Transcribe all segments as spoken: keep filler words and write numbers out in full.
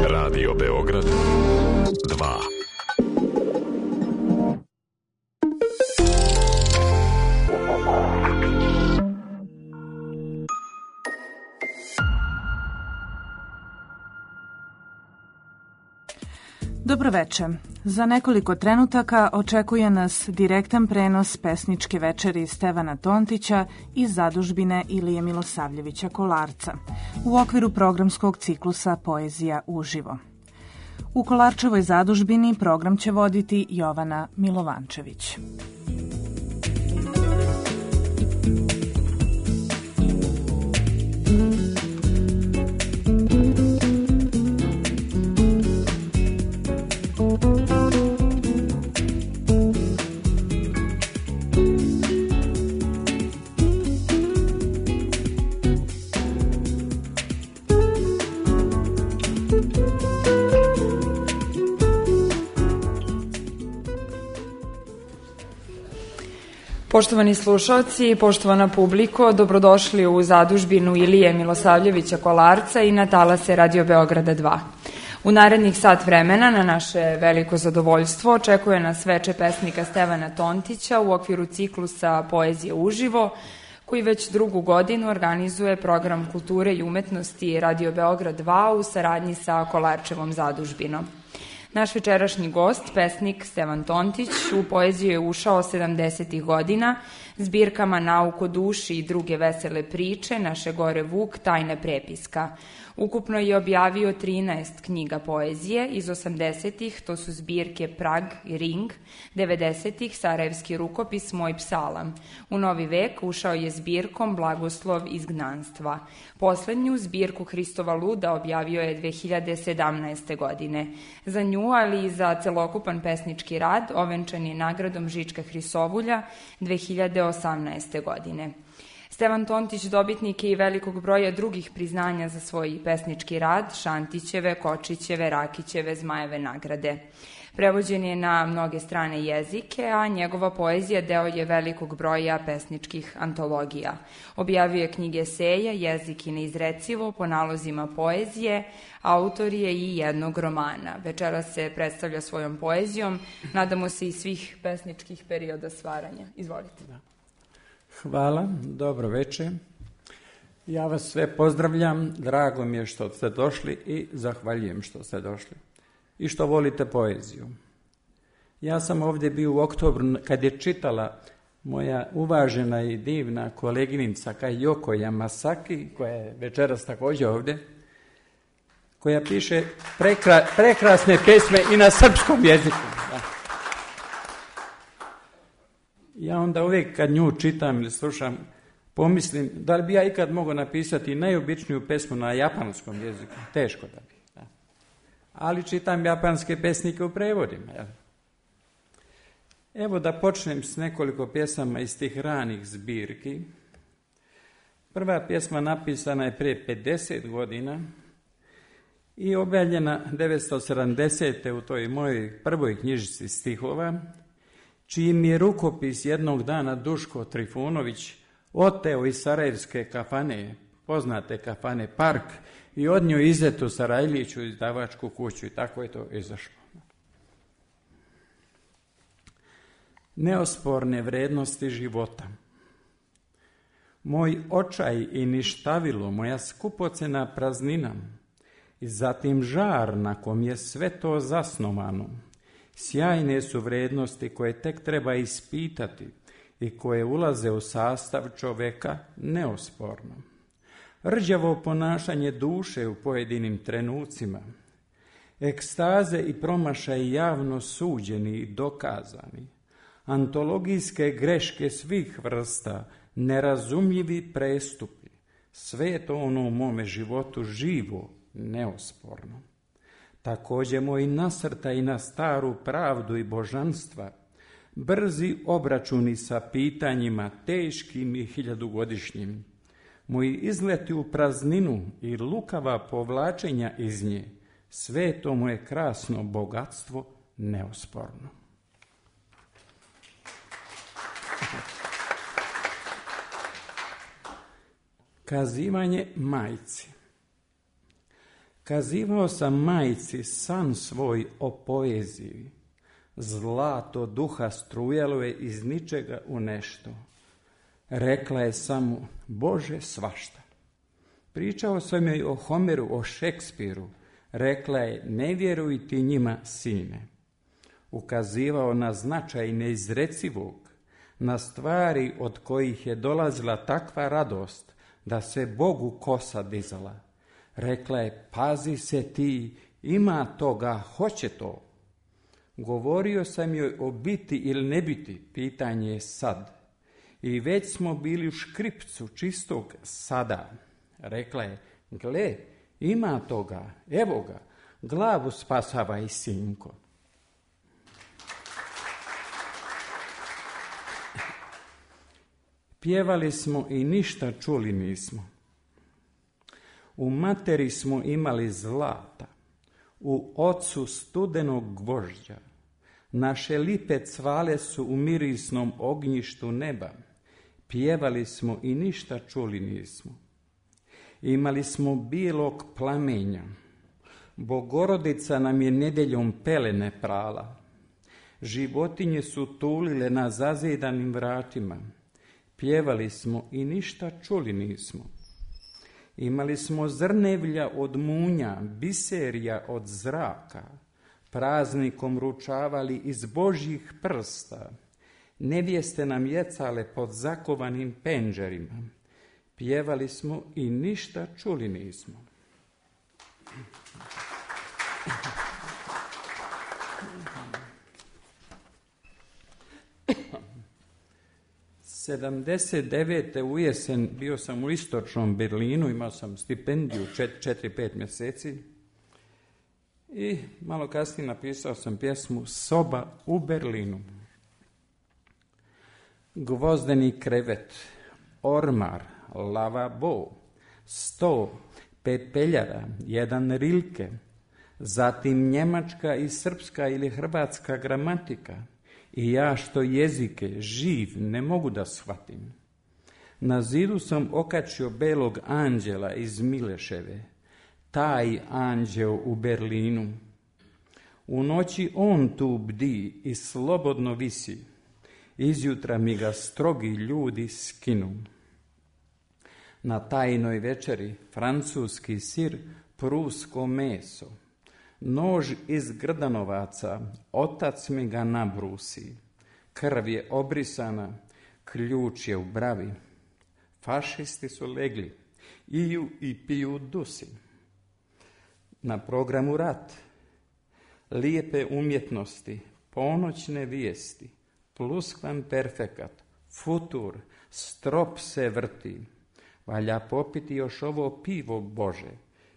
Radio Beograd dva. Dobroveče. Za nekoliko trenutaka očekuje nas direktan prenos pesničke večeri Stevana Tontića iz zadužbine Ilije Milosavljevića Kolarca u okviru programskog ciklusa Poezija uživo. U Kolarčevoj zadužbini program će voditi Jovana Milovančević. Poštovani slušalci, poštovana publiko, dobrodošli u zadužbinu Ilije Milosavljevića Kolarca i na talase Radio Beograda dva. U narednih sat vremena na naše veliko zadovoljstvo očekuje nas veče pesnika Stevana Tontića u okviru ciklusa Poezije uživo, koji već drugu godinu organizuje program kulture i umetnosti Radio Beograd dva u saradnji sa Kolarčevom zadužbinom. Naš večerašnji gost, pesnik Stevan Tontić, u poeziju je ušao sedamdesetih godina zbirkama Nauk o duši i druge vesele priče, Naše gore Vuk, Tajna prepiska. Ukupno je objavio trinaest knjiga poezije iz osamdesetih, to su zbirke Prag i Ring, devedesetih Sarajevski rukopis, Moj psalam. U novi vek ušao je zbirkom Blagoslov izgnanstva. Poslednju zbirku Hristova luda objavio je dve hiljade sedamnaeste. godine. Za nju, ali i za celokupan pesnički rad, ovenčan je nagradom Žička Hrisovulja dve hiljade osamnaeste. godine. Stevan Tontić dobitnik je i velikog broja drugih priznanja za svoj pesnički rad, Šantićeve, Kočićeve, Rakićeve, Zmajeve nagrade. Prevođen je na mnoge strane jezike, a njegova poezija deo je velikog broja pesničkih antologija. Objavio je knjige eseja, Jezik i neizrecivo, po nalozima poezije, autor je i jednog romana. Večeras se predstavlja svojom poezijom, nadamo se i svih pesničkih perioda stvaranja. Izvolite. Hvala, dobro večer. Ja vas sve pozdravljam, drago mi je što ste došli i zahvaljujem što ste došli i što volite poeziju. Ja sam ovdje bio u oktobru kad je čitala moja uvažena i divna koleginica Kajoko Yamasaki, koja je večeras također ovdje, koja piše prekra, prekrasne pesme i na srpskom jeziku. Da. Ja onda uvijek kad nju čitam ili slušam, pomislim da li bi ja ikad mogao napisati najobičniju pesmu na japanskom jeziku. Teško da bi. Da. Ali čitam japanske pesnike u prevodima. Ja. Evo da počnem s nekoliko pjesama iz tih ranih zbirki. Prva pjesma napisana je prije pedeset godina i objavljena devetsto sedamdesete. u toj mojoj prvoj knjižici stihova, čiji mi je rukopis jednog dana Duško Trifunović oteo iz sarajevske kafane, poznate kafane Park, i odnio izetu Sarajliću izdavačku kuću i tako je to izašlo. Neosporne vrednosti života. Moj očaj i ništavilo, moja skupocena praznina i zatim žar na kom je sve to zasnovano. Sjajne su vrednosti koje tek treba ispitati i koje ulaze u sastav čoveka neosporno. Rđavo ponašanje duše u pojedinim trenucima, ekstaze i promašaj javno suđeni i dokazani, antologijske greške svih vrsta, nerazumljivi prestupi, sve je to ono u mome životu živo, neosporno. Također moj nasrtaj na staru pravdu i božanstva, brzi obračuni sa pitanjima teškim i hiljadugodišnjim, moji izleti u prazninu i lukava povlačenja iz nje, sve je to moje krasno bogatstvo neosporno. Kazivanje majci. Kazivao sam majci san svoj o poeziji. Zlato duha strujalo je iz ničega u nešto. Rekla je samo, Bože, svašta. Pričao sam joj o Homeru, o Šekspiru. Rekla je, ne vjeruj ti njima, sine. Ukazivao na značaj neizrecivog, na stvari od kojih je dolazila takva radost, da se Bogu kosa dizala. Rekla je, pazi se ti, ima toga, hoće to. Govorio sam joj o biti ili ne biti, pitanje je sad. I već smo bili u škripcu čistog sada. Rekla je, gle, ima toga, evo ga, glavu spasavaj, sinko. Pjevali smo i ništa čuli nismo. U materi smo imali zlata, u ocu studenog gvožđa. Naše lipe cvale su u mirisnom ognjištu neba. Pjevali smo i ništa čuli nismo. Imali smo bijelog plamenja. Bogorodica nam je nedjeljom pelene prala. Životinje su tulile na zazidanim vratima. Pjevali smo i ništa čuli nismo. Imali smo zrnevlja od munja, biserija od zraka. Praznikom ručavali iz Božjih prsta. Nevjeste nam jecale pod zakovanim penđerima. Pjevali smo i ništa čuli nismo. sedamdeset devete u jesen bio sam u istočnom Berlinu, imao sam stipendiju četiri pet mjeseci i malo kasnije napisao sam pjesmu Soba u Berlinu. Gvozdeni krevet, ormar, lavabo, sto, pepeljara, jedan rilke, zatim njemačka i srpska ili hrvatska gramatika i ja što jezike živ ne mogu da shvatim. Na zidu sam okačio belog anđela iz Mileševe, taj anđeo u Berlinu. U noći on tu bdi i slobodno visi, izjutra mi ga strogi ljudi skinu. Na tajnoj večeri francuski sir, prusko meso, nož iz grdanovaca, otac mi ga nabrusi, krv je obrisana, ključ je u bravi. Fašisti su legli, iju i piju dusi. Na programu rat, lijepe umjetnosti, ponoćne vijesti, pluskvamperfekat, futur, strop se vrti. Valja popiti još ovo pivo Bože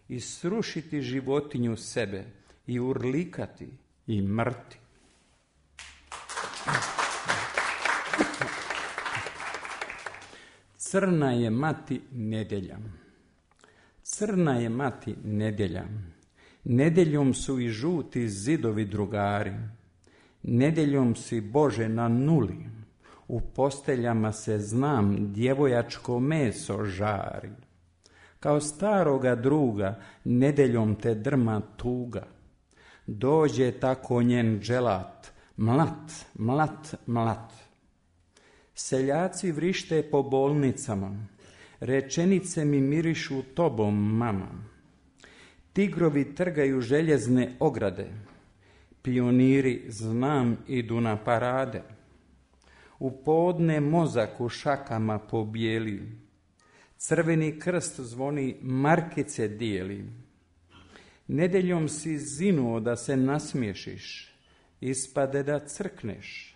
i srušiti životinju sebe i urlikati i mrti. Crna je mati nedjelja. Crna je mati nedjelja. Nedjeljom su i žuti zidovi drugari. Nedjeljom si Bože na nuli. U posteljama se znam djevojačko meso žari. Kao staroga druga nedjeljom te drma tuga. Dođe tako njen dželat, mlat, mlat, mlat. Seljaci vrište po bolnicama, rečenice mi mirišu tobom, mama. Tigrovi trgaju željezne ograde, pioniri znam idu na parade. U podne mozak u šakama pobijeli, crveni krst zvoni markice dijeli. Nedeljom si zinuo da se nasmiješiš, ispade da crkneš.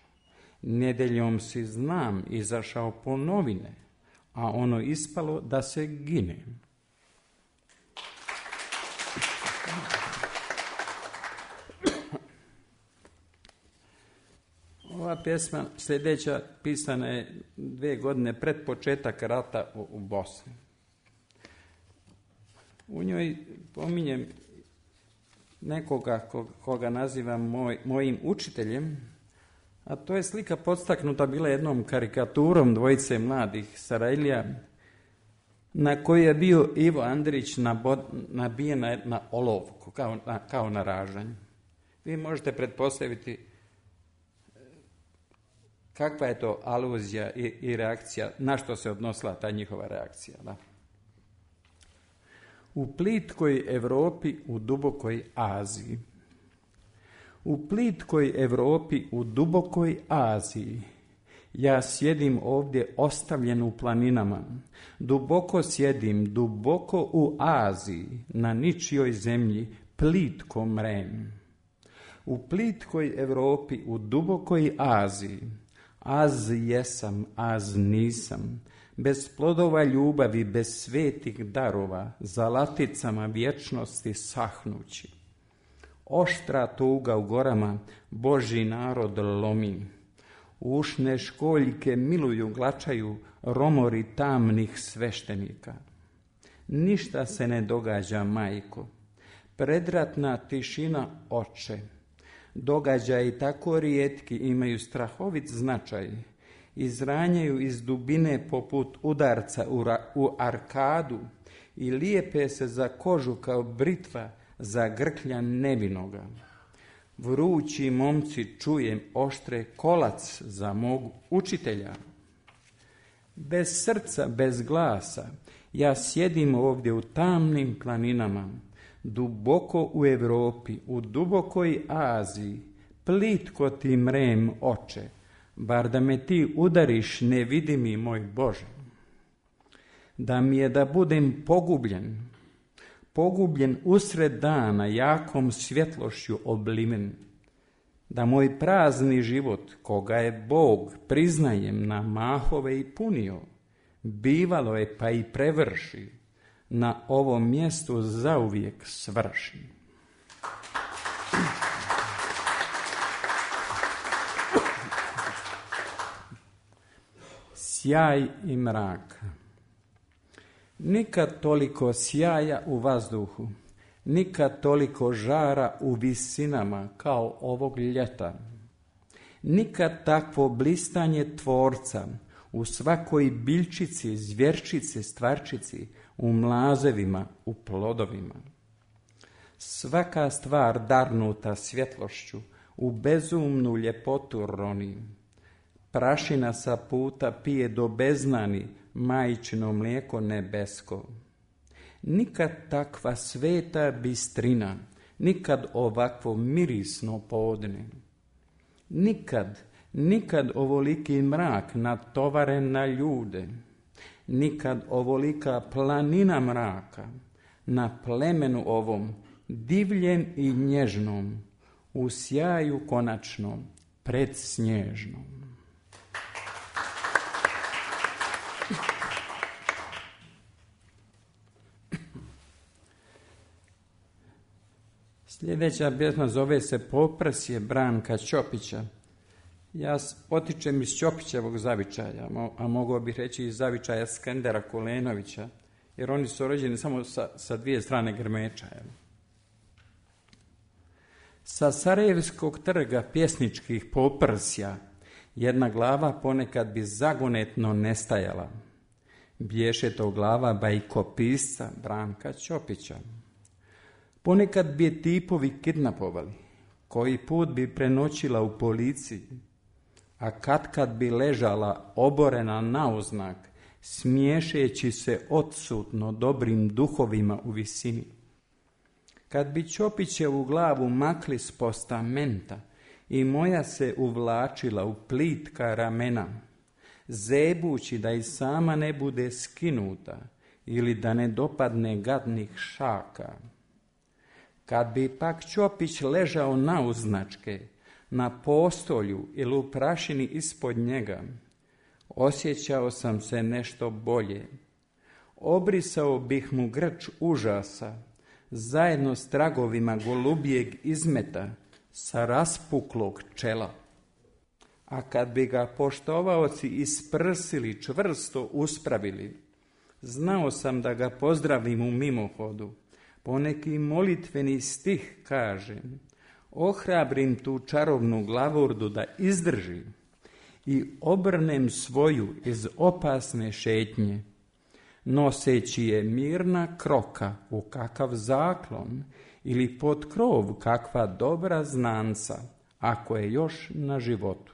Nedeljom si znam izašao po novine, a ono ispalo da se gine. Ova pjesma sljedeća pisana je dvije godine pred početak rata u, u Bosni. U njoj pominjem nekoga koga nazivam moj, mojim učiteljem, a to je slika podstaknuta bila jednom karikaturom dvojice mladih Sarajlija na koji je bio Ivo Andrić nabijen na, na olovku, kao na, kao na ražanju. Vi možete pretpostaviti kakva je to aluzija i, i reakcija, na što se odnosila ta njihova reakcija. Da? U plitkoj Europi, u dubokoj Aziji. U plitkoj Europi, u dubokoj Aziji, ja sjedim ovdje ostavljen u planinama, duboko sjedim, duboko u Aziji, na ničijoj zemlji, plitko mrem. U plitkoj Europi, u dubokoj Aziji, az jesam, az nisam, bez plodova ljubavi, bez svetih darova, za laticama vječnosti sahnući. Oštra tuga u gorama, Božji narod lomi. Ušne školjke miluju, glačaju romori tamnih sveštenika. Ništa se ne događa, majko. Predratna tišina, oče. Događaji tako rijetki imaju strahovit značaj. Izranjaju iz dubine poput udarca u, ra- u arkadu i lijepe se za kožu kao britva za grklja nevinoga. Vrući momci, čujem, oštre kolac za mog učitelja. Bez srca, bez glasa, ja sjedim ovdje u tamnim planinama, duboko u Europi, u dubokoj Aziji, plitko ti mrem, oče, bar da me ti udariš, ne vidi mi, moj Bože. Da mi je da budem pogubljen, pogubljen usred dana, jakom svjetlošću obliven, da moj prazni život, koga je Bog, priznajem, na mahove i punio, bivalo je pa i prevrši, na ovom mjestu zauvijek svrši. Sjaj i mrak. Nikad toliko sjaja u vazduhu, nikad toliko žara u visinama kao ovog ljeta. Nikad takvo blistanje tvorca u svakoj biljčici, zvjerčici, stvarčici, u mlazevima, u plodovima. Svaka stvar darnuta svjetlošću u bezumnu ljepotu roni. Prašina sa puta pije do beznani majčino mlijeko nebesko. Nikad takva sveta bistrina, nikad ovakvo mirisno podne. Nikad, nikad ovoliki mrak natovaren na ljude. Nikad ovolika planina mraka na plemenu ovom, divljem i nježnom, u sjaju konačnom, predsnježnom. Sljedeća pjesma zove se Poprsje Branka Ćopića. Ja potičem iz Ćopićevog zavičaja, a mogao bih reći iz zavičaja Skendera Kulenovića, jer oni su rođeni samo sa, sa dvije strane grmeča. Sa Sarajevskog trga pjesničkih poprsja jedna glava ponekad bi zagonetno nestajala. Bješe to glava bajkopisca Branka Ćopića. Ponekad bi je tipovi kidnapovali, koji put bi prenoćila u policiji, a katkad bi ležala oborena nauznak, smiješeći se odsutno dobrim duhovima u visini. Kad bi Ćopićevu glavu makli s postamenta i moja se uvlačila u plitka ramena, zebući da i sama ne bude skinuta ili da ne dopadne gadnih šaka. Kad bi pak Ćopić ležao nauznačke, na postolju ili u prašini ispod njega, osjećao sam se nešto bolje. Obrisao bih mu grč užasa, zajedno s tragovima golubijeg izmeta sa raspuklog čela. A kad bi ga poštovaoci isprsili, čvrsto uspravili, znao sam da ga pozdravim u mimohodu. Poneki molitveni stih kažem, ohrabrim tu čarovnu glavurdu da izdrži i obrnem svoju iz opasne šetnje. noseći je mirna kroka u kakav zaklon ili pod krov kakva dobra znanca, ako je još na životu.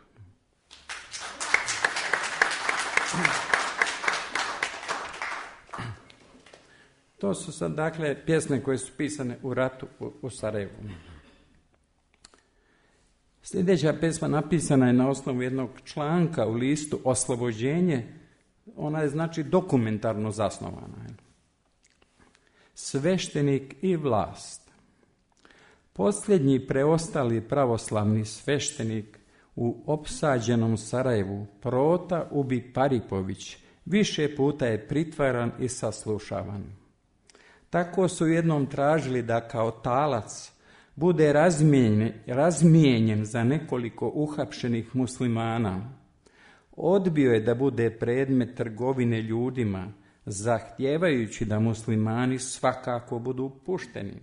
To su sad, dakle, pjesme koje su pisane u ratu u, u Sarajevu. Sljedeća pjesma napisana je na osnovu jednog članka u listu Oslobođenje. Ona je, znači, dokumentarno zasnovana. Sveštenik i vlast. Posljednji preostali pravoslavni sveštenik u opsađenom Sarajevu, Prota Ubi Paripović, više puta je pritvaran i saslušavan. Tako su jednom tražili da kao talac bude razmijenjen, razmijenjen za nekoliko uhapšenih muslimana. Odbio je da bude predmet trgovine ljudima, zahtijevajući da muslimani svakako budu pušteni.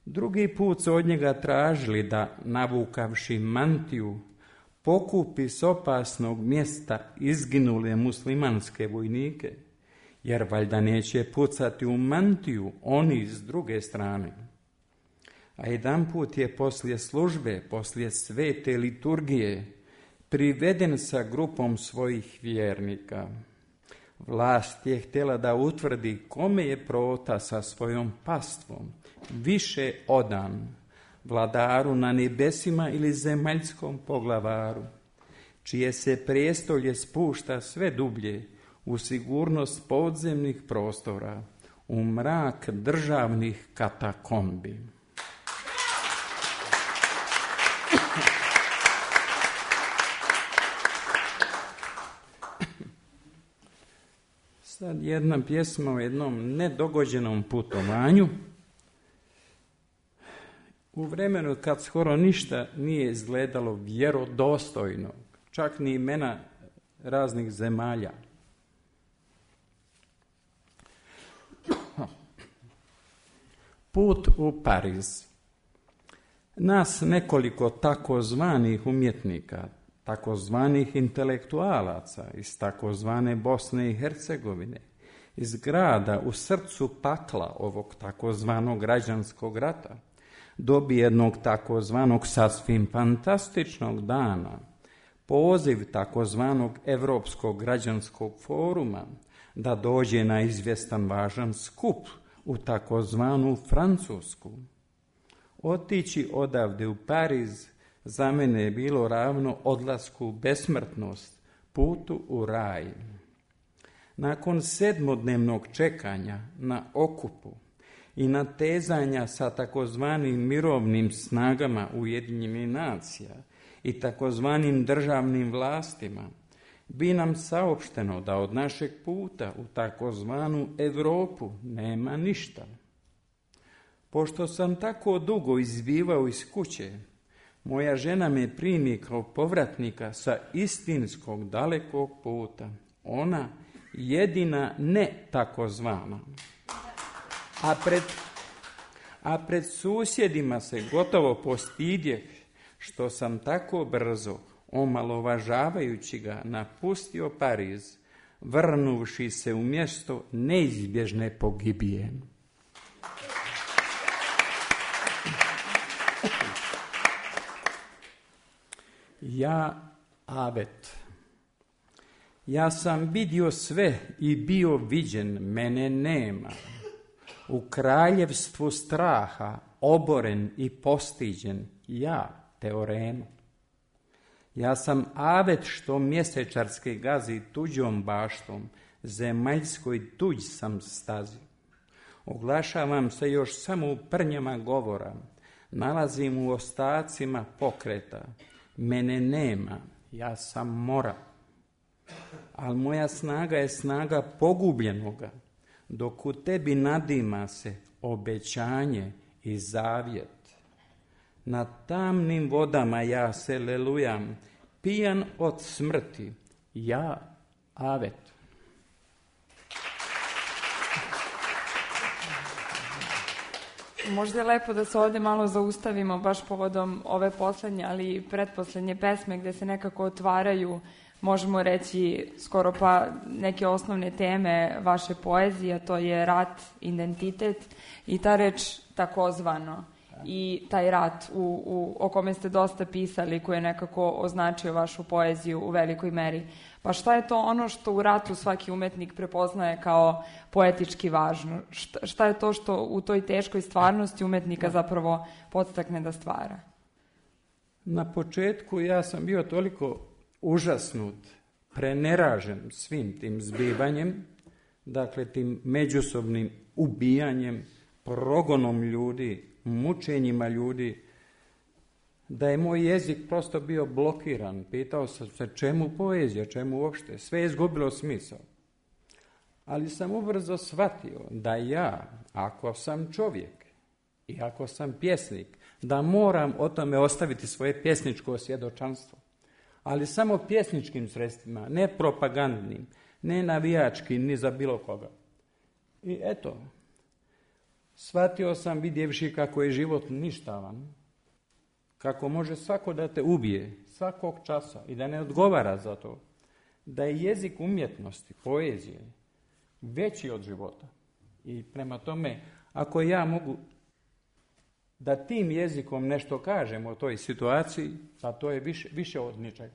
Drugi put su od njega tražili da, navukavši mantiju, pokupi s opasnog mjesta izginule muslimanske vojnike, jer valjda neće pucati u mantiju oni s druge strane. A jedan put je poslije službe, poslije svete liturgije, priveden sa grupom svojih vjernika. Vlast je htjela da utvrdi kome je Prota sa svojom pastvom više odan, vladaru na nebesima ili zemaljskom poglavaru, čije se prijestolje spušta sve dublje u sigurnost podzemnih prostora, u mrak državnih katakombi. Sad jedna pjesma o jednom nedogođenom putovanju. U vremenu kad skoro ništa nije izgledalo vjerodostojno, čak ni imena raznih zemalja. Put u Pariz. Nas nekoliko takozvanih umjetnika, takozvanih intelektualaca iz takozvane Bosne i Hercegovine, iz grada u srcu pakla ovog takozvanog građanskog rata, dobi jednog takozvanog sasvim fantastičnog dana, poziv takozvanog Evropskog građanskog foruma da dođe na izvjestan važan skup u takozvanu Francusku. Otići odavde u Pariz za mene je bilo ravno odlasku u besmrtnost, putu u raj. Nakon sedmodnevnog čekanja na okupu i natezanja sa takozvanim mirovnim snagama Ujedinjenih nacija i takozvanim državnim vlastima, bi nam saopšteno da od našeg puta u takozvanu Europu nema ništa. Pošto sam tako dugo izbivao iz kuće, moja žena me primi kao povratnika sa istinskog dalekog puta. Ona jedina ne takozvana. A pred, a pred susjedima se gotovo postidjeh što sam tako brzo, omalovažavajući ga, napustio Pariz, vrnuvši se u mjesto neizbježne pogibije. Ja, Avet. Ja sam vidio sve i bio viđen, mene nema. U kraljevstvu straha, oboren i postiđen, ja, Teorema. Ja sam Avet što mjesečarske gazi tuđom baštom, zemaljskoj tuđ sam stazi. Oglašavam se još samo u prnjama govora, nalazim u ostacima pokreta, mene nema, ja sam mora. Ali moja snaga je snaga pogubljenoga, dok u tebi nadima se obećanje i zavjet. Na tamnim vodama ja se lelujam, pijan od smrti, ja, Avet. Možda je lepo da se ovdje malo zaustavimo baš povodom ove poslednje, ali i pretposlednje pesme gdje se nekako otvaraju možemo reći skoro pa neke osnovne teme vaše poezije, a to je rat, identitet i ta reč takozvano i taj rat u, u, o kome ste dosta pisali, koji je nekako označio vašu poeziju u velikoj meri. Pa šta je to ono što u ratu svaki umetnik prepoznaje kao poetički važno? Šta, šta je to što u toj teškoj stvarnosti umetnika zapravo podstakne da stvara? Na početku ja sam bio toliko užasnut, preneražen svim tim zbivanjem, dakle tim međusobnim ubijanjem, progonom ljudi, mučenjima ljudi, da je moj jezik prosto bio blokiran. Pitao sam se čemu poezija, čemu uopšte. Sve je izgubilo smisao. Ali sam ubrzo shvatio da ja, ako sam čovjek i ako sam pjesnik, da moram o tome ostaviti svoje pjesničko svjedočanstvo. Ali samo pjesničkim sredstvima, ne propagandnim, ne navijačkim, ni za bilo koga. I eto, shvatio sam, vidjevši kako je život ništavan, kako može svako da te ubije, svakog časa i da ne odgovara za to, da je jezik umjetnosti, poezije, veći od života. I prema tome, ako ja mogu da tim jezikom nešto kažem o toj situaciji, pa to je više, više od ničega.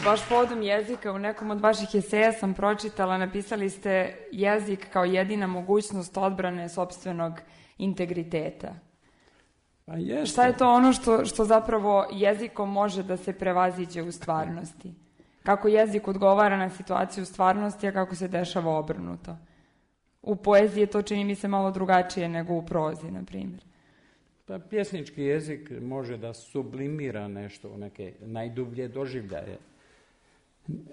Baš povodom jezika, u nekom od vaših eseja sam pročitala, napisali ste jezik kao jedina mogućnost odbrane sopstvenog integriteta. Pa jeste. Šta je to ono što, što zapravo jezikom može da se prevaziđe u stvarnosti? Kako jezik odgovara na situaciju u stvarnosti, a kako se dešava obrnuto? U poeziji to čini mi se malo drugačije nego u prozi, na primjer. Pa pjesnički jezik može da sublimira nešto u neke najdublje doživljaje,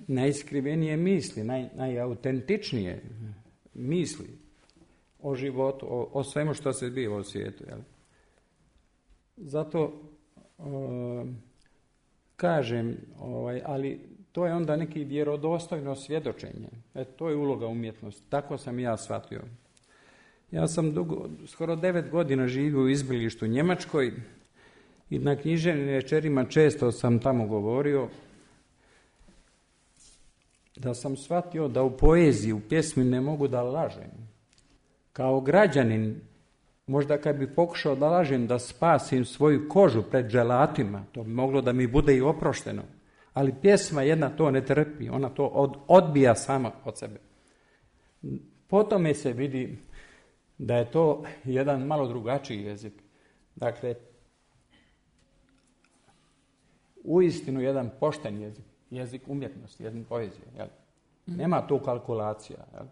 najiskrivenije misli, naj, najautentičnije misli o životu, o, o svemu što se zbiva u svijetu. Jel? Zato o, kažem, ovaj, ali to je onda neki vjerodostojno svjedočenje. E, to je uloga umjetnosti. Tako sam ja shvatio. Ja sam dugo, skoro devet godina živio u izbilištu u Njemačkoj i na književnim večerima često sam tamo govorio da sam shvatio da u poeziji, u pjesmi ne mogu da lažem. Kao građanin, možda kad bi pokušao da lažem, da spasim svoju kožu pred dželatima, to bi moglo da mi bude i oprošteno. Ali pjesma jedna to ne trpi, ona to od, odbija sama od sebe. Po tome se vidi da je to jedan malo drugačiji jezik. Dakle, uistinu jedan pošten jezik, jezik umjetnosti, jezik poezije. Jel? Nema tu kalkulacija. Jel?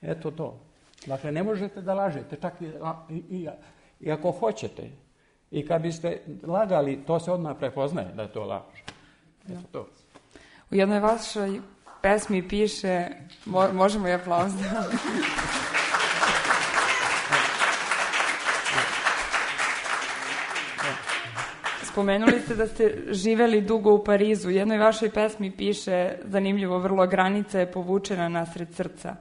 Eto to. Dakle, ne možete da lažete, čak i, i, i, i ako hoćete. I kad biste lagali, to se odmah prepoznaje da je to laž. Eto to. U jednoj vašoj pesmi piše, mo, možemo i aplauz da... Spomenuli ste da ste živeli dugo u Parizu. U jednoj vašoj pesmi piše, zanimljivo, vrlo granica je povučena nasred srca.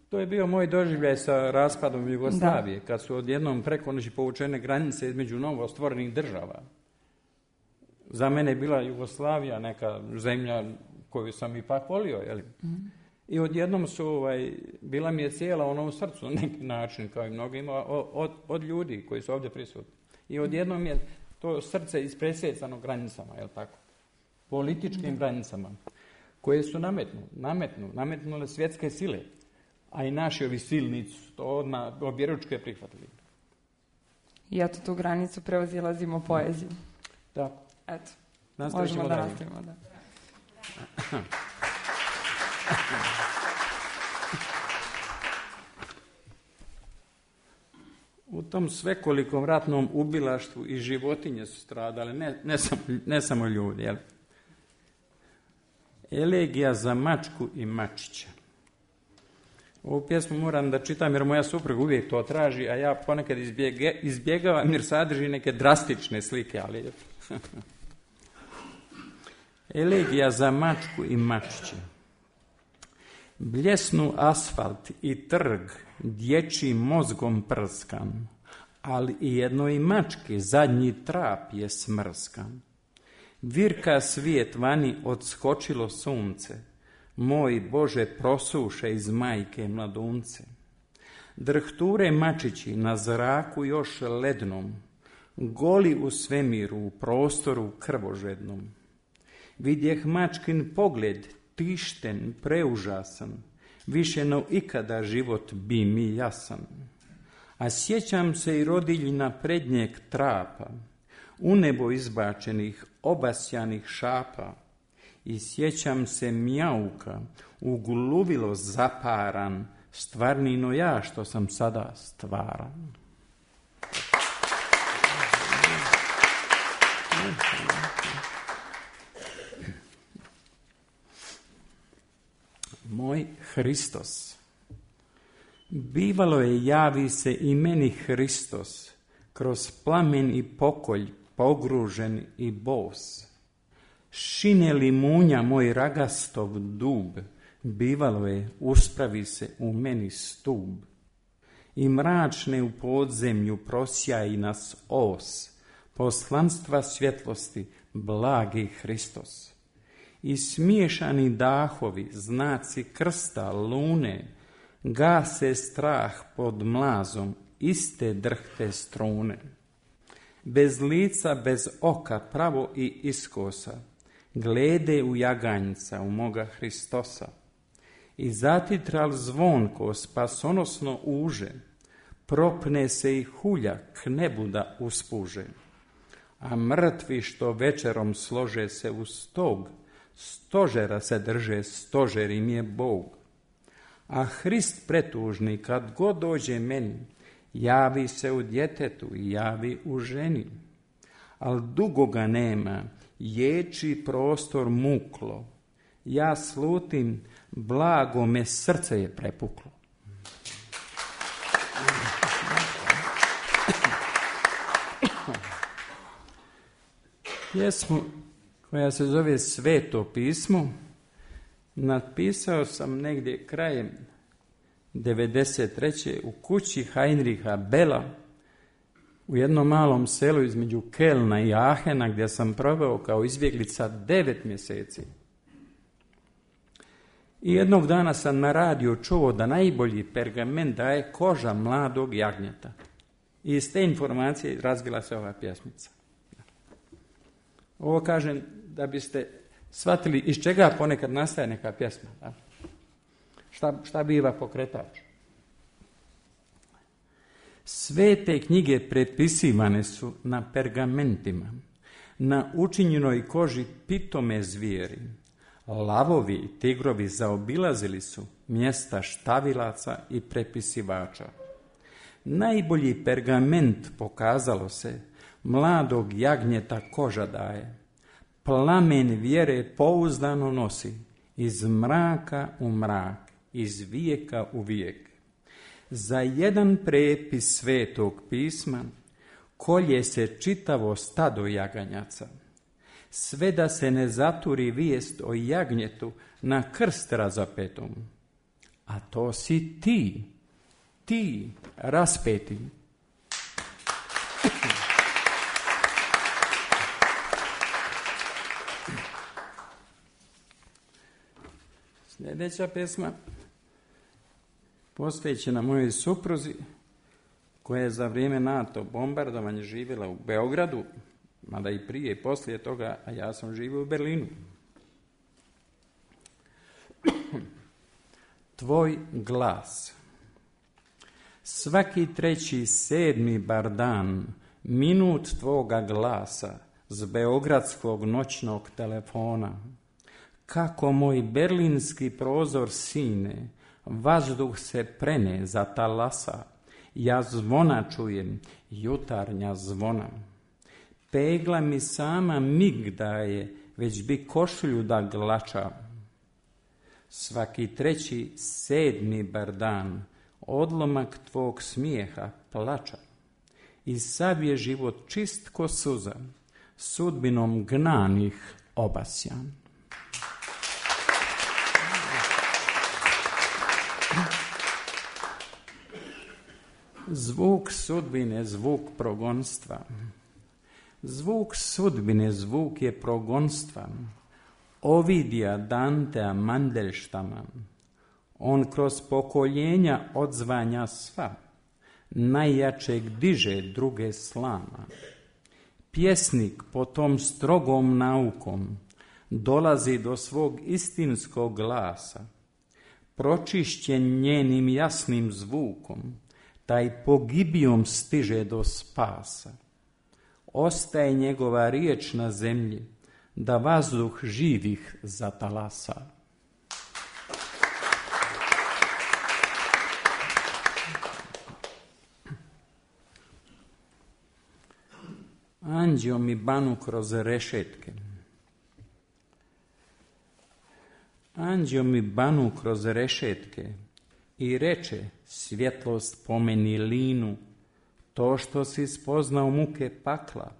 To je bio moj doživljaj sa raspadom Jugoslavije, da. Kad su odjednom preko noći povučene granice između novo stvorenih država. Za mene je bila Jugoslavija neka zemlja koju sam ipak volio, jel? Mm. I odjednom su, ovaj, bila mi je cijela ona u srcu na neki način, kao i mnogima, od, od ljudi koji su ovdje prisutni. I odjednom je to srce ispresjecano granicama, jel tako? Političkim da. granicama, koje su nametnu, nametnu, nametnule svjetske sile, a i naši ovi silnici su to odmah objeručke prihvatili. I eto tu granicu prevazilazimo poeziju. Tako. Eto, nastavit možemo da nastavimo, da. U tom svekolikom ratnom ubilaštvu i životinje su stradale, ne, ne, sam, ne samo ljudi. Jel? Elegija za mačku i mačića. Ovu pjesmu moram da čitam jer moja supruga uvijek to traži, a ja ponekad izbjege, izbjegavam jer sadrži neke drastične slike, ali... Elegija za mačku i mačiće. Bljesnu asfalt i trg, dječjim mozgom prskan, ali i jednoj mački zadnji trap je smrskan. Virka svijet vani odskočilo sunce, moj Bože prosuše iz majke mladunce. Drhture mačići na zraku još lednom, goli u svemiru, u prostoru krvožednom. Vidjeh mačkin pogled, tišten, preužasan, više no ikada život bi mi jasan. A sjećam se i rodiljina prednjeg trapa, u nebo izbačenih, obasjanih šapa. I sjećam se mjauka, ugluvilo zaparan, stvarnino ja što sam sada stvaran. Moj Hristos. Bivalo je javi se i meni Hristos, kroz plamen i pokolj, pogružen i bos. Šine li munja moj ragastov dub, bivalo je, uspravi se u meni stub. I mračne u podzemlju prosjaji nas os, poslanstva svjetlosti, blagi Hristos. I smiješani dahovi, znaci krsta, lune, gase strah pod mlazom, iste drhte strune. Bez lica, bez oka, pravo i iskosa, glede u jaganjca, u moga Hristosa. I zatitral zvonko, spasonosno uže, propne se i hulja k nebu da uspuže. A mrtvi što večerom slože se u stog, stožera se drže, stožer im je Bog. A Hrist pretužni, kad god dođe meni, javi se u djetetu i javi u ženi. Al dugo ga nema, ječi prostor muklo. Ja slutim, blago me srce je prepuklo. Pjesmu koja se zove Sveto pismo napisao sam negdje krajem devedeset treće u kući Heinricha Bella u jednom malom selu između Kelna i Ahena, gdje sam proveo kao izbjeglica devet mjeseci. I jednog dana sam na radiju čuo da najbolji pergament daje koža mladog jagnjeta. I iz te informacije razvila se ova pjesmica. Ovo kažem da biste shvatili iz čega ponekad nastaje neka pjesma. Da? Šta, šta biva pokretač? Sve te knjige prepisivane su na pergamentima, na učinjenoj koži pitome zvijeri. Lavovi i tigrovi zaobilazili su mjesta štavilaca i prepisivača. Najbolji pergament, pokazalo se, mladog jagnjeta koža daje. Plamen vjere pouzdano nosi, iz mraka u mrak, iz vijeka u vijek. Za jedan prepis Svetog pisma kolje se čitavo stado jaganjaca, sve da se ne zaturi vijest o jagnjetu na krst razapetom. A to si ti, ti raspeti. Sljedeća pesma posvećena mojoj supruzi, koja je za vrijeme NATO bombardovanja živjela u Beogradu, mada i prije i poslije toga, a ja sam živio u Berlinu. Tvoj glas. Svaki treći, sedmi bar dan, minut tvoga glasa s beogradskog noćnog telefona. Kako moj berlinski prozor sine, vazduh se prene za talasa, ja zvona čujem, jutarnja zvona. Pegla mi sama mig daje, već bi košulju da glača. Svaki treći, sedmi bar dan, odlomak tvog smijeha plača. I sav je život čist ko suza, sudbinom gnanih obasjan. Zvuk sudbine, zvuk progonstva. Zvuk sudbine, zvuk je progonstva. Ovidija, Dantea, Mandelštama. On kroz pokoljenja odzvanja sva. Najjačeg diže, druge slama. Pjesnik po tom strogom naukom dolazi do svog istinskog glasa. Pročišćen njenim jasnim zvukom, taj pogibijom stiže do spasa. Ostaje njegova riječ na zemlji, da vazduh živih zatalasa. Anđeo mi banu kroz rešetke. Anđeo mi banu kroz rešetke i reče, svjetlost pomeni linu, to što si spoznao muke pakla,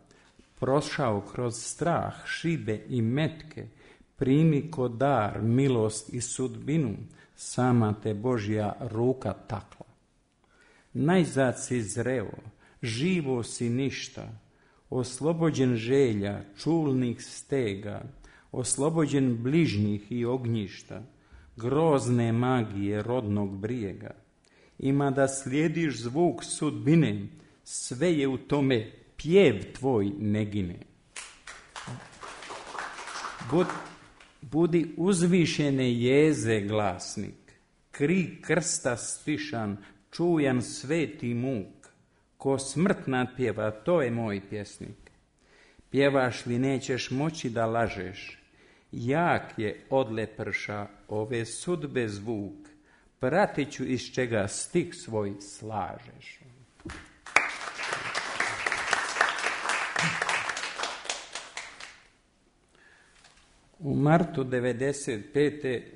prošao kroz strah, šibe i metke, primi ko dar, milost i sudbinu, sama te Božja ruka takla. Najzad si zreo, živo si ništa, oslobođen želja, čulnih stega, oslobođen bližnjih i ognjišta, grozne magije rodnog brijega. Ima da slijediš zvuk sudbine, sve je u tome, pjev tvoj ne gine. Bud, budi uzvišene jeze glasnik, krik krsta stišan, čujan sveti muk, ko smrt nadpjeva, to je moj pjesnik. Pjevaš li nećeš moći da lažeš, jak je odleprša ove sudbe zvuk, pratit ću iz čega stih svoj slažeš. U martu devedeset pete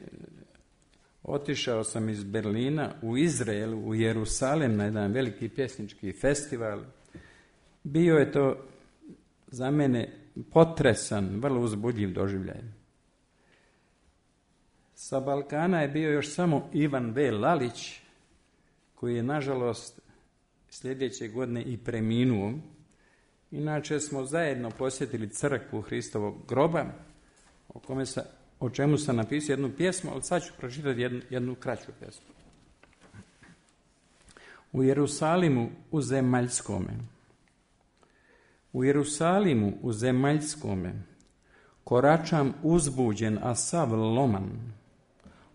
otišao sam iz Berlina u Izrael, u Jerusalem na jedan veliki pjesnički festival. Bio je to za mene potresan, vrlo uzbudljiv doživljaj. Sa Balkana je bio još samo Ivan V. Lalić, koji je nažalost sljedeće godine i preminuo. Inače smo zajedno posjetili crkvu Hristovog groba, o, kome sa, o čemu sam napisao jednu pjesmu, ali sad ću pročitati jednu, jednu kraću pjesmu. U Jerusalimu u zemaljskome, u Jerusalimu u zemaljskome, koračam uzbuđen, a sav loman,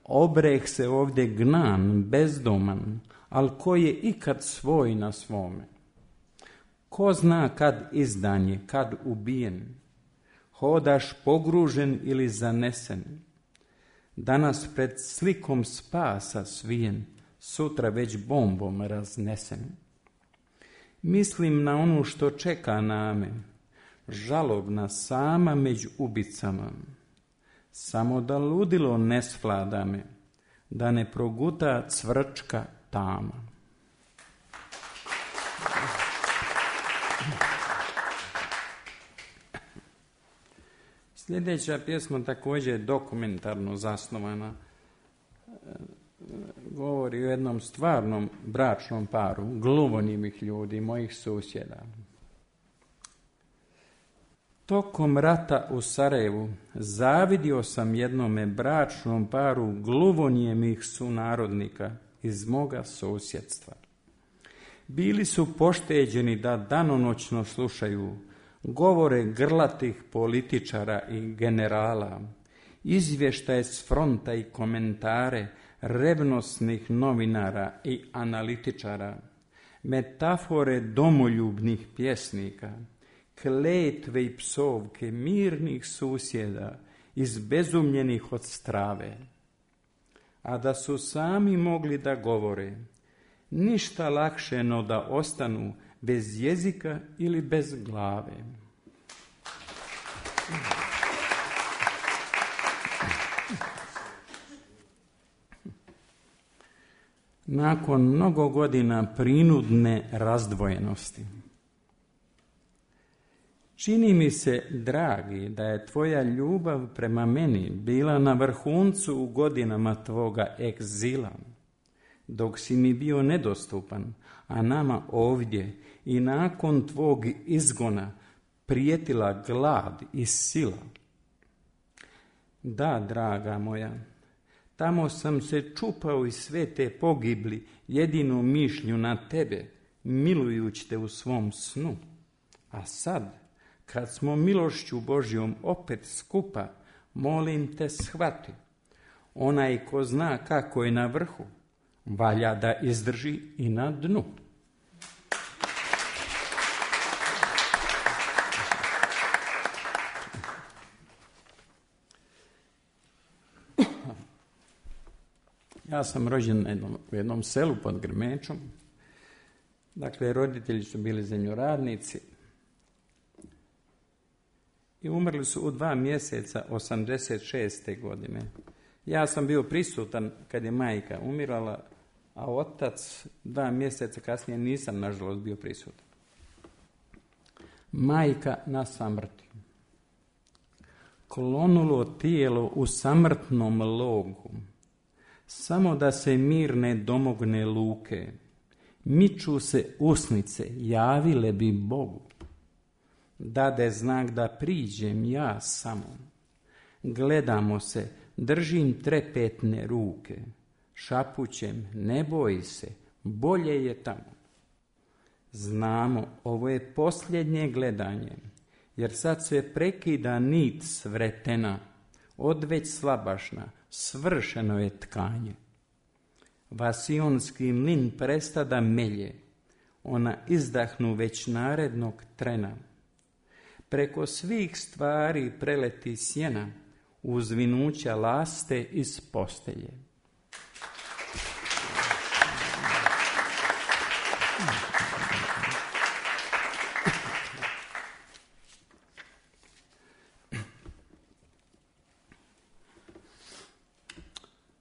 obreh se ovdje gnan, bezdoman, al ko je ikad svoj na svome. Ko zna kad izdan je, kad ubijen, hodaš pogružen ili zanesen, danas pred slikom spasa svijen, sutra već bombom raznesen. Mislim na onu što čeka name, žalobna sama među ubicama, samo da ludilo ne svlada me, da ne proguta cvrčka tama. Sljedeća pjesma također je dokumentarno zasnovana. Govori o jednom stvarnom bračnom paru, gluvonimih ljudi, mojih susjeda. Tokom rata u Sarajevu zavidio sam jednome bračnom paru gluvonijemih sunarodnika iz moga susjedstva. Bili su pošteđeni da danonoćno slušaju govore grlatih političara i generala, izvještaje s fronta i komentare revnosnih novinara i analitičara, metafore domoljubnih pjesnika, kletve i psovke mirnih susjeda izbezumljenih od strave. A da su sami mogli da govore, ništa lakše no da ostanu bez jezika ili bez glave. Nakon mnogo godina prinudne razdvojenosti, čini mi se, dragi, da je tvoja ljubav prema meni bila na vrhuncu u godinama tvoga egzila. dok si mi bio nedostupan, a nama ovdje i nakon tvog izgona prijetila glad i sila. Da, draga moja, tamo sam se čupao iz sve te pogibli jedinu mišlju na tebe, milujući te u svom snu. A sad, kad smo milošću Božjom opet skupa, molim te shvati, onaj ko zna kako je na vrhu, valja da izdrži i na dnu. Ja sam rođen na jednom, u jednom selu pod Grmečom. Dakle, roditelji su bili zemljoradnici i umrli su u dva mjeseca osamdeset šeste. godine. Ja sam bio prisutan kad je majka umirala, a otac dva mjeseca kasnije nisam, nažalost, bio prisutan. Majka na samrti. Klonulo tijelo u samrtnom logu, samo da se mirne domogne luke. Miču se usnice, javile bi Bogu. Dade znak da priđem ja samo. Gledamo se, držim trepetne ruke. Šapućem, ne boj se, bolje je tamo. Znamo, ovo je posljednje gledanje, jer sad se prekida nit svretena, odveć slabašna, svršeno je tkanje. Vasionski mlin presta da melje, ona izdahnu već narednog trena. Preko svih stvari preleti sjena, uzvinuća laste iz postelje.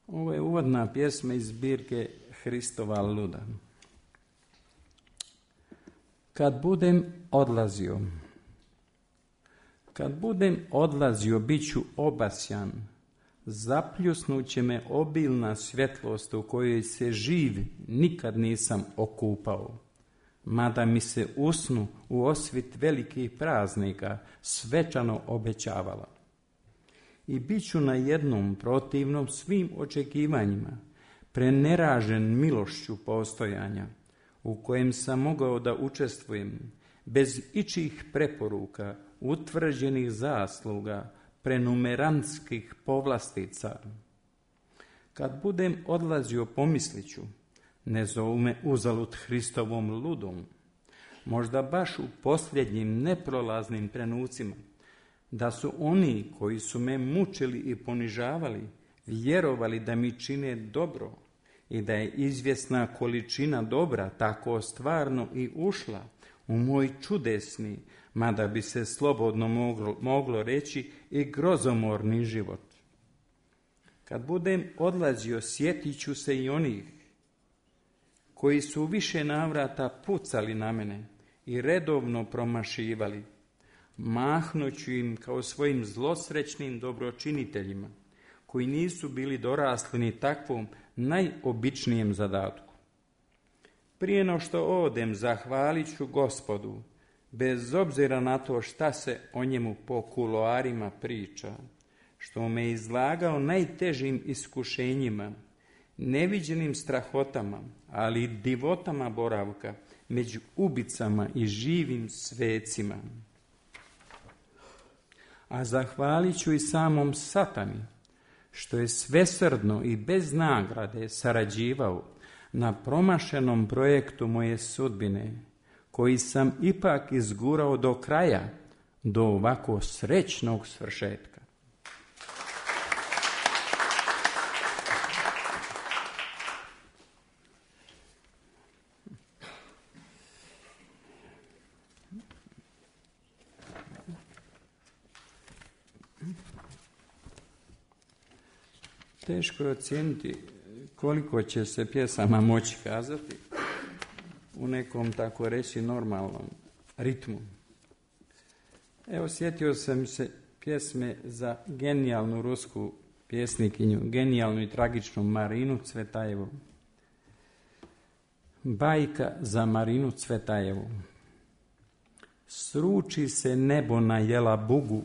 Ovo je uvodna pjesma iz zbirke Hristova luda. Kad budem odlazio, kad budem odlazio, bit ću obasjan, zapljusnuće me obilna svjetlost u kojoj se živ nikad nisam okupao, mada mi se u snu u osvit velikih praznika svečano obećavala. I bit ću na jednom protivnom svim očekivanjima, preneražen milošću postojanja, u kojem sam mogao da učestvujem, bez ičih preporuka, utvrđenih zasluga, prenumerantskih povlastica. Kad budem odlazio, pomislit ću, ne zovu me uzalud Hristovom ludom, možda baš u posljednjim neprolaznim trenucima, da su oni koji su me mučili i ponižavali vjerovali da mi čine dobro i da je izvjesna količina dobra tako stvarno i ušla u moj čudesni, mada bi se slobodno moglo, moglo reći i grozomorni život. Kad budem odlazio, sjetit ću se i onih koji su više navrata pucali na mene i redovno promašivali. Mahnuću im kao svojim zlosrećnim dobročiniteljima, koji nisu bili dorasli ni takvom najobičnijem zadatku. Prije no što odem, zahvalit ću Gospodu, bez obzira na to šta se o njemu po kuloarima priča, što me izlagao najtežim iskušenjima, neviđenim strahotama, ali i divotama boravka među ubicama i živim svecima. A zahvalit ću i samom Satani, što je svesrdno i bez nagrade sarađivao na promašenom projektu moje sudbine, koji sam ipak izgurao do kraja, do ovako srećnog svršetka. Teško je ocijeniti koliko će se pjesama moći kazati u nekom, tako reći, normalnom ritmu. Evo, sjetio sam se pjesme za genijalnu rusku pjesnikinju, genijalnu i tragičnu Marinu Cvetajevu. Bajka za Marinu Cvetajevu. Sruči se nebo na jela bugu,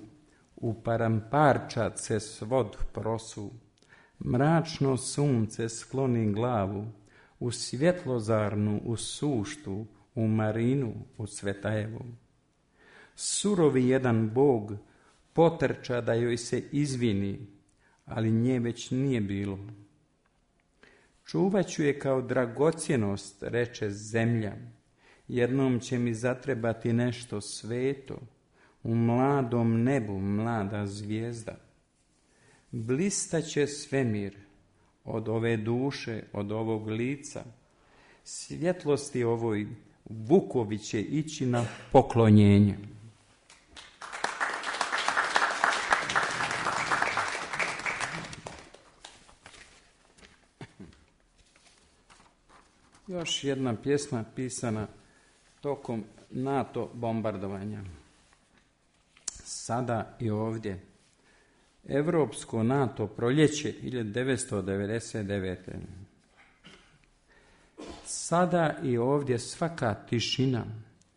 u paramparčat se svod prosu, mračno sunce skloni glavu, u svjetlozarnu, u suštu, u Marinu, u Cvetajevu. Surovi jedan bog potrča da joj se izvini, ali nje već nije bilo. Čuvat ću je kao dragocjenost, reče zemlja, jednom će mi zatrebati nešto sveto, u mladom nebu mlada zvijezda. Blistaće svemir od ove duše, od ovog lica, svjetlosti ovoj vukovi će ići na poklonjenje. Još jedna pjesma pisana tokom NATO bombardovanja. Sada i ovdje. Evropsko NATO proljeće hiljadu devetsto devedeset devete. Sada i ovdje svaka tišina,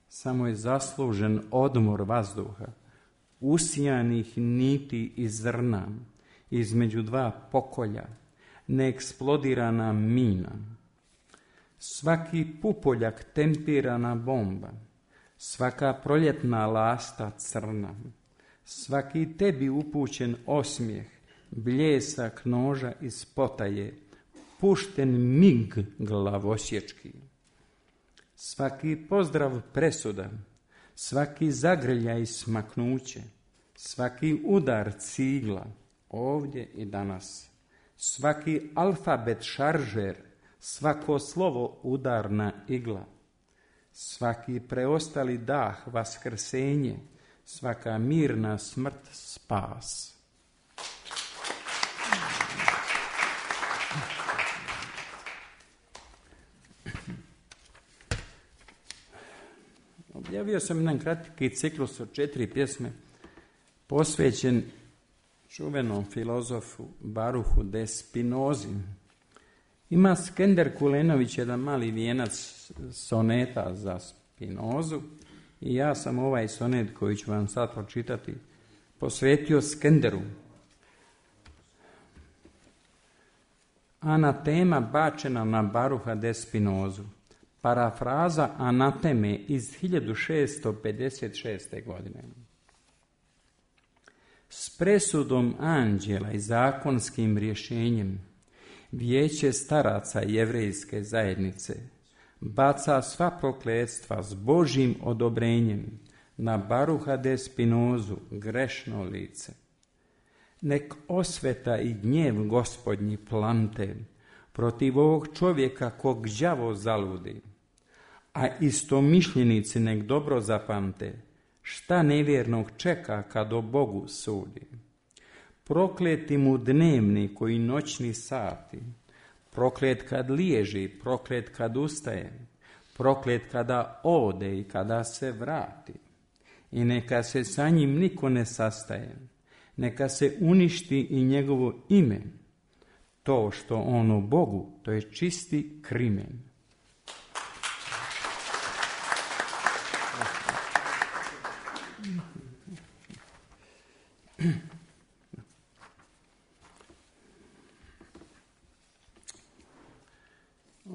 samo je zaslužen odmor vazduha, usijanih niti i zrna, između dva pokolja, neeksplodirana mina. Svaki pupoljak tempirana bomba, svaka proljetna lasta crna, svaki tebi upućen osmijeh, bljesak noža iz potaje, pušten mig glavosječki. Svaki pozdrav presuda, svaki zagrljaj smaknuće, svaki udar cigla, ovdje i danas, svaki alfabet šaržer, svako slovo udarna igla, svaki preostali dah vaskrsenje, svaka mirna smrt spas. Objavio sam jedan kratki ciklus od četiri pjesme posvećen čuvenom filozofu Baruhu de Spinozi. Ima Skender Kulenović jedan mali vijenac soneta za Spinozu i ja sam ovaj sonet koji ću vam sad pročitati posvetio Skenderu. Anatema bačena na Baruha de Spinozu. Parafraza anateme iz hiljadu šesto pedeset šeste. godine. S presudom anđela i zakonskim rješenjem Vijeće staraca jevrejske zajednice baca sva prokletstva s Božjim odobrenjem na Baruha de Spinozu, grešno lice. Nek osveta i gnjev Gospodnji plante protiv ovog čovjeka kog đavo zaludi, a istomišljenici nek dobro zapamte šta nevjernog čeka kad o Bogu sudi. Prokleti mu dnevni koji noćni sati, proklet kad liježi, proklet kad ustaje, proklet kada ode i kada se vrati. I neka se sa njim niko ne sastaje, neka se uništi i njegovo ime. To što on o Bogu, to je čisti krimen.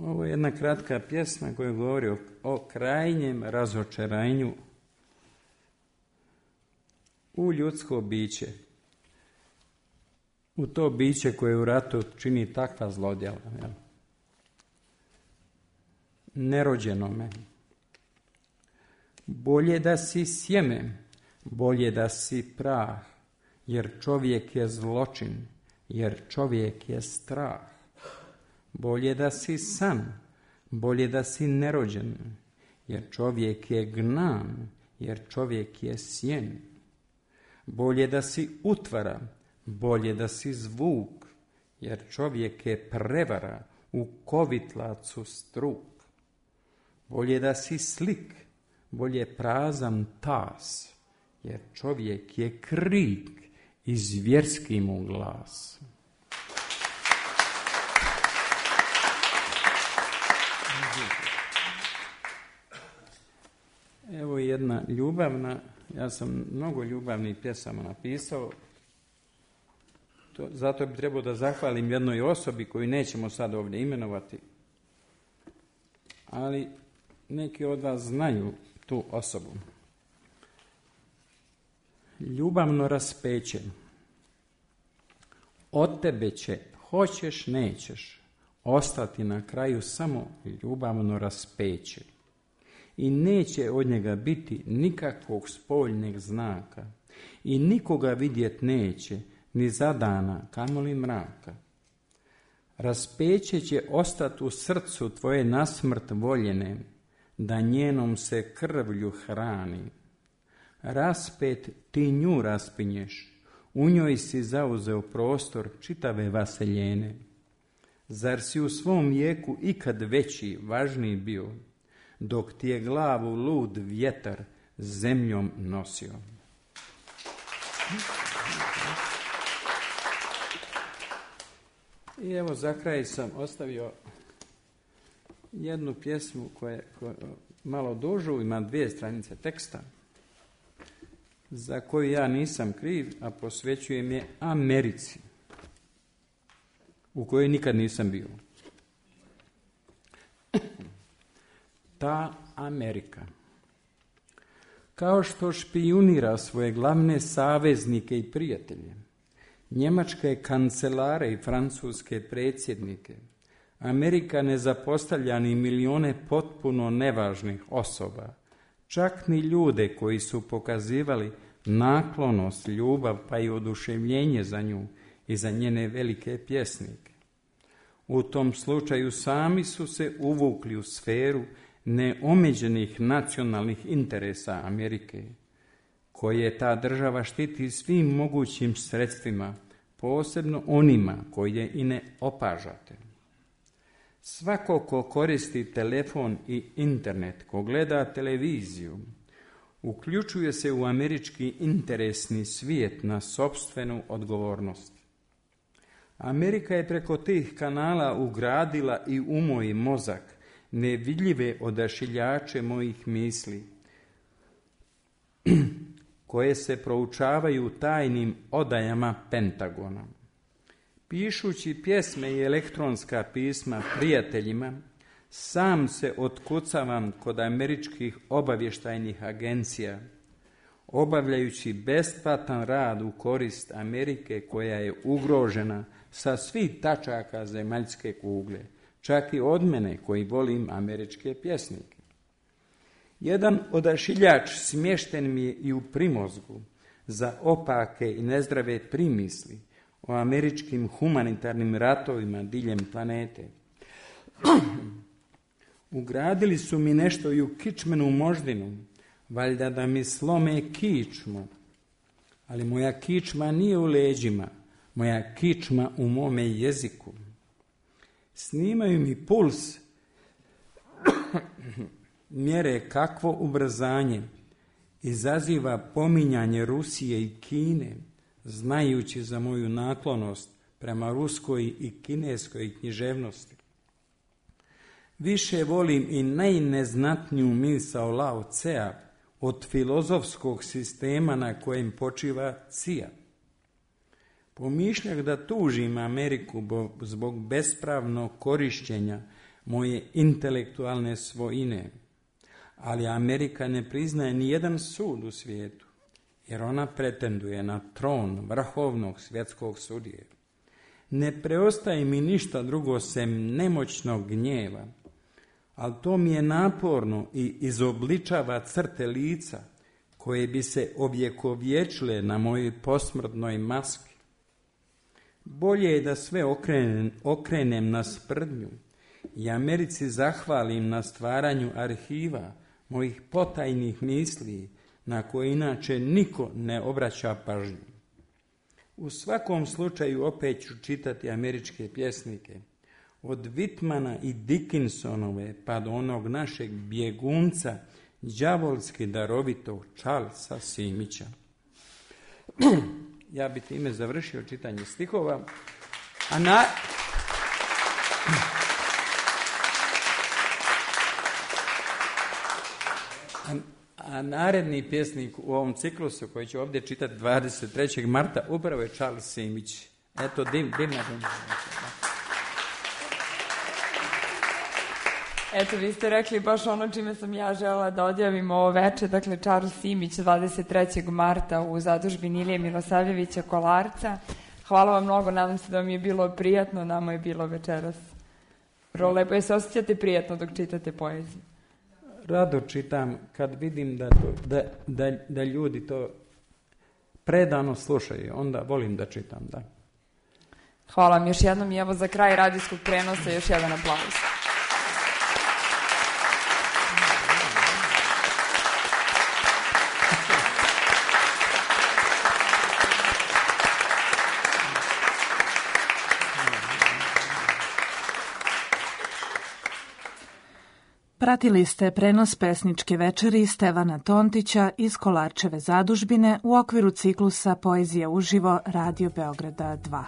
Ovo je jedna kratka pjesma koja govori o, o krajnjem razočaranju u ljudsko biće. U to biće koje u ratu čini takva zlodjela. Jel? Nerođenome. Bolje da si sjeme, bolje da si prah, jer čovjek je zločin, jer čovjek je strah. Bolje da si san, bolje da si nerođen, jer čovjek je gnan, jer čovjek je sjen. Bolje da si utvara, bolje da si zvuk, jer čovjek je prevara, u kovitlacu struk. Bolje da si slik, bolje prazan tas, jer čovjek je krik i zvjerski mu glas. Evo jedna ljubavna, ja sam mnogo ljubavnih pjesama napisao, to, zato bi trebao da zahvalim jednoj osobi koju nećemo sad ovdje imenovati, ali neki od vas znaju tu osobu. Ljubavno raspeće. Od tebe će, hoćeš, nećeš, ostati na kraju samo ljubavno raspeće. I neće od njega biti nikakvog spoljnog znaka. I nikoga vidjet neće, ni za dana, kamoli mraka. Raspeće će ostati u srcu tvoje nasmrt voljene, da njenom se krvlju hrani. Raspet ti nju raspinješ, u njoj si zauzeo prostor čitave vaseljene. Zar si u svom vijeku ikad veći, važniji bio, dok ti je glavu lud vjetar zemljom nosio? I evo za kraj sam ostavio jednu pjesmu koja je malo dužu, ima dvije stranice teksta, za koju ja nisam kriv, a posvećujem je Americi, u kojoj nikad nisam bio. Ta Amerika, kao što špijunira svoje glavne saveznike i prijatelje, njemačke kancelare i francuske predsjednike, Amerika ne zapostavlja ni milijone potpuno nevažnih osoba, čak ni ljude koji su pokazivali naklonost, ljubav pa i oduševljenje za nju i za njene velike pjesnike. U tom slučaju sami su se uvukli u sferu neomeđenih nacionalnih interesa Amerike, koje ta država štiti svim mogućim sredstvima, posebno onima koje i ne opažate. Svako ko koristi telefon i internet, ko gleda televiziju, uključuje se u američki interesni svijet na sopstvenu odgovornost. Amerika je preko tih kanala ugradila i u moj mozak nevidljive odašiljače mojih misli, koje se proučavaju tajnim odajama Pentagona. Pišući pjesme i elektronska pisma prijateljima, sam se otkucavam kod američkih obavještajnih agencija, obavljajući besplatan rad u korist Amerike koja je ugrožena sa svih tačaka zemaljske kugle, čak i od mene koji volim američke pjesnike. Jedan odašiljač smješten mi je i u primozgu za opake i nezdrave primisli o američkim humanitarnim ratovima diljem planete. Ugradili su mi nešto i u kičmenu moždinu, valjda da mi slome kičmu, ali moja kičma nije u leđima, moja kičma u mome jeziku. Snimaju mi puls, mjere kakvo ubrzanje izaziva pominjanje Rusije i Kine, znajući za moju naklonost prema ruskoj i kineskoj književnosti. Više volim i najneznatniju misao Lao Tsea od filozofskog sistema na kojem počiva Cija. Pomišljak da tužim Ameriku zbog bespravnog korištenja moje intelektualne svojine, ali Amerika ne priznaje ni jedan sud u svijetu, jer ona pretenduje na tron vrhovnog svjetskog sudije. Ne preostaje mi ništa drugo sem nemoćnog gnjeva, ali to mi je naporno i izobličava crte lica koje bi se ovjekovječile na mojoj posmrtnoj maski. Bolje je da sve okrenem, okrenem na sprdnju i Americi zahvalim na stvaranju arhiva mojih potajnih misli na koje inače niko ne obraća pažnju. U svakom slučaju opet ću čitati američke pjesnike, od Whitmana i Dickinsonove pa do onog našeg bjegunca, đavolski darovitog Charlesa Simića. Ja bi time završio čitanje stihova, a na... A naredni pjesnik u ovom ciklusu koji ću ovdje čitati dvadeset trećeg marta upravo je Charles Simić. Eto, dim, dim na dim. Eto, vi ste rekli baš ono čime sam ja žela da odjavim ovo veče, dakle Charles Simić dvadeset trećeg marta u zadužbini Ilije Milosavljevića Kolarca. Hvala vam mnogo, nadam se da vam je bilo prijatno, nama je bilo večeras vrlo lepo. Je se osjećate prijatno dok čitate poeziju? Rado čitam kad vidim da, to, da, da, da ljudi to predano slušaju, onda volim da čitam, da. Hvala vam još jednom i evo za kraj radijskog prenosa još jedan aplauz. Pratili ste prenos pesničke večeri Stevana Tontića iz Kolarčeve zadužbine u okviru ciklusa Poezija uživo Radio Beograda dva.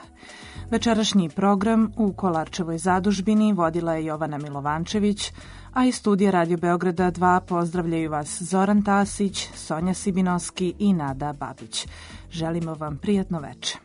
Večerašnji program u Kolarčevoj zadužbini vodila je Jovana Milovančević, a iz studija Radio Beograda dva pozdravljaju vas Zoran Tasić, Sonja Sibinoski i Nada Babić. Želimo vam prijatno veče.